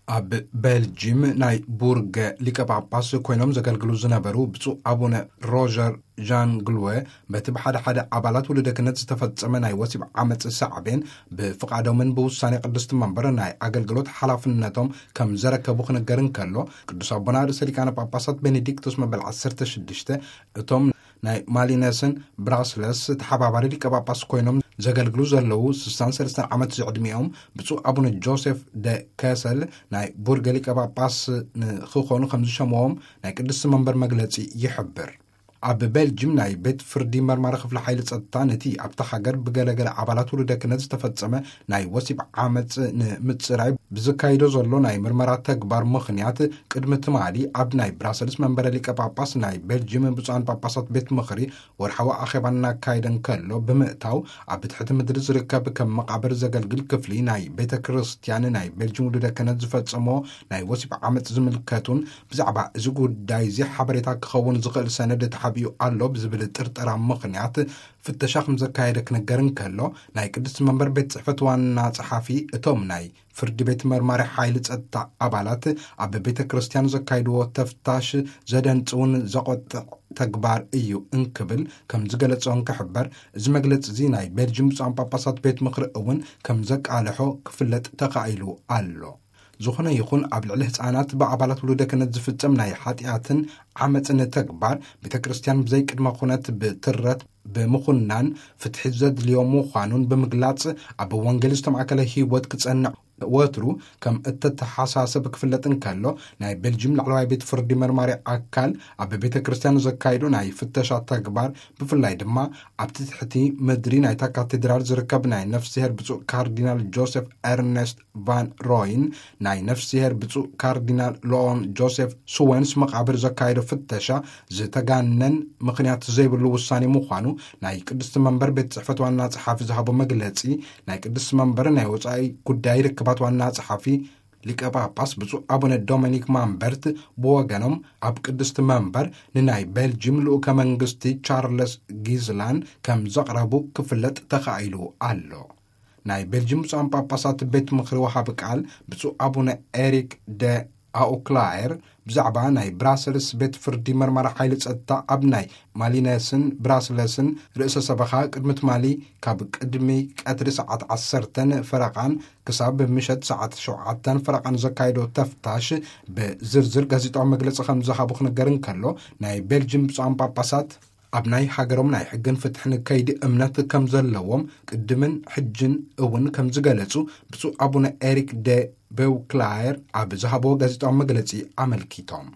ኣብ ቤልጂም ናይ ቡርገ ሊቀ ጳጳስ ኮይኖም ዘገልግሉ ዝነበሩ ብፁዕ ኣቡነ ሮጀር ዣን ግልወ፣ በቲ ብሓደ ሓደ ኣባላት ውሉደ ክህነት ዝተፈጸመ ናይ ወሲብ ዓመጽ ሳዕቤን፣ ብፍቓዶምን ብውሳኔ ቅድስቲ መንበር ናይ ኣገልግሎት ሓላፍነቶም ከም ዘረከቡ ክንገር እንከሎ፣ ቅዱስ ኣቦና ርእሰ ሊቃነ ጳጳሳት ቤኔዲክቶስ መበል ዓሰርተ ሽዱሽተ፣ እቶም ናይ ማሊነስን ብራስለስ ተሓባባሪ ሊቀ ጳጳስ ኮይኖም ዘገልግሉ ዘለዉ ስሳን ሰለስተን ዓመት ዝዕድሚኦም ብፁዕ ኣቡነ ጆሴፍ ደ ከሰል ናይ ቡርገ ሊቀ ጳጳስ ንክኾኑ ከም ዝሸምዎም ናይ ቅድስቲ መንበር መግለጺ ይሕብር። ኣብ ቤልጅም ናይ ቤት ፍርዲ መርማሪ ክፍሊ ሓይሊ ጸጥታ፣ ነቲ ኣብታ ሃገር ብገለገለ ኣባላት ውሉደ ክህነት ዝተፈጸመ ናይ ወሲብ ዓመጽ ንምጽራይ ብዝካይዶ ዘሎ ናይ ምርመራ ተግባር ምኽንያት፣ ቅድሚ ትማሊ ኣብ ናይ ብራሰልስ መንበረ ሊቀ ጳጳስ ናይ ቤልጅም ብፁዓን ጳጳሳት ቤት ምኽሪ ወርሓዊ ኣኼባ እናካየደ እንከሎ ብምእታው፣ ኣብ ትሕቲ ምድሪ ዝርከብ ከም መቓብር ዘገልግል ክፍሊ ናይ ቤተ ክርስቲያን ናይ ቤልጅም ውሉደ ክህነት ዝፈጸሞ ናይ ወሲብ ዓመጽ ዝምልከቱን ብዛዕባ እዚ ጉዳይ እዚ ሓበሬታ ክኸውን ዝኽእል ሰነድ ተሓቢኡ ኣሎ ብዝብል ጥርጠራ ምኽንያት ፍተሻ ከም ዘካየደ ክነገር እንከሎ፣ ናይ ቅድስቲ መንበር ቤት ጽሕፈት ዋና ጸሓፊ፣ እቶም ናይ ፍርዲ ቤት መርማሪ ሓይሊ ጸጥታ ኣባላት ኣብ ቤተ ክርስቲያን ዘካይድዎ ተፍታሽ ዘደንጽውን ዘቖጥዕ ተግባር እዩ እንክብል ከም ዝገለጾ እንክሕበር፣ እዚ መግለጺ እዚ ናይ ቤልጅም ብፁዓን ጳጳሳት ቤት ምኽሪ እውን ከም ዘቃልሖ ክፍለጥ ተኻኢሉ ኣሎ። ዝኾነ ይኹን ኣብ ልዕሊ ህፃናት ብኣባላት ውሉደ ክህነት ዝፍጸም ናይ ሓጢኣትን ዓመፅን ተግባር፣ ቤተ ክርስቲያን ብዘይ ቅድመ ኩነት ብትረት ብምኹናን ፍትሒ ዘድልዮ ምዃኑን ብምግላጽ፣ ኣብ ወንጌል ዝተማእከለ ህይወት ክጸንዕ ወትሩ ከም እተተሓሳሰብ ክፍለጥ እንከሎ፣ ናይ ቤልጅም ላዕለዋይ ቤት ፍርዲ መርማሪ ኣካል ኣብ ቤተ ክርስቲያን ዘካይዶ ናይ ፍተሻ ተግባር፣ ብፍላይ ድማ ኣብቲ ትሕቲ ምድሪ ናይታ ካቴድራል ዝርከብ ናይ ነፍስሄር ብፁዕ ካርዲናል ጆሴፍ ኤርነስት ቫን ሮይን፣ ናይ ነፍስሄር ብፁዕ ካርዲናል ሎኦን ጆሴፍ ሱወንስ መቓብር ዘካየዶ ፍተሻ ዝተጋነን ምኽንያት ዘይብሉ ውሳኔ ምዃኑ ናይ ቅድስቲ መንበር ቤት ጽሕፈት ዋና ጸሓፊ ዝሃቦ መግለጺ፣ ናይ ቅድስቲ መንበር ናይ ወጻኢ ጉዳይ ርክባት ዋና ጸሓፊ ሊቀ ጳጳስ ብፁዕ ኣቡነ ዶሚኒክ ማምበርት ብወገኖም፣ ኣብ ቅድስቲ መንበር ንናይ ቤልጅም ልኡከ መንግስቲ ቻርለስ ጊዝላን ከም ዘቕረቡ ክፍለጥ ተኻኢሉ ኣሎ። ናይ ቤልጅም ብፁዓን ጳጳሳት ቤት ምኽሪ ወሃቢ ቃል ብፁዕ ኣቡነ ኤሪክ ደ ኣውክላየር፣ ብዛዕባ ናይ ብራሰልስ ቤት ፍርዲ መርማሪ ሓይሊ ጸጥታ ኣብ ናይ ማሊነስን ብራስለስን ርእሰ ሰበኻ፣ ቅድሚ ትማሊ ካብ ቅድሚ ቀትሪ ሰዓት ዓሰርተን ፈረቓን ክሳብ ምሸት ሰዓት ሸውዓተን ፈረቓን ዘካየዶ ተፍታሽ፣ ብዝርዝር ጋዜጣዊ መግለጺ ከም ዝሃቡ ክነገር እንከሎ፣ ናይ ቤልጅም ብፁዓን ጳጳሳት ኣብ ናይ ሃገሮም ናይ ሕግን ፍትሕን ከይዲ እምነት ከም ዘለዎም ቅድምን ሕጅን እውን ከም ዝገለጹ ብፁዕ ኣቡነ ኤሪክ ደ ቤውክላየር ኣብ ዝሃብዎ ጋዜጣዊ መግለጺ ኣመልኪቶም።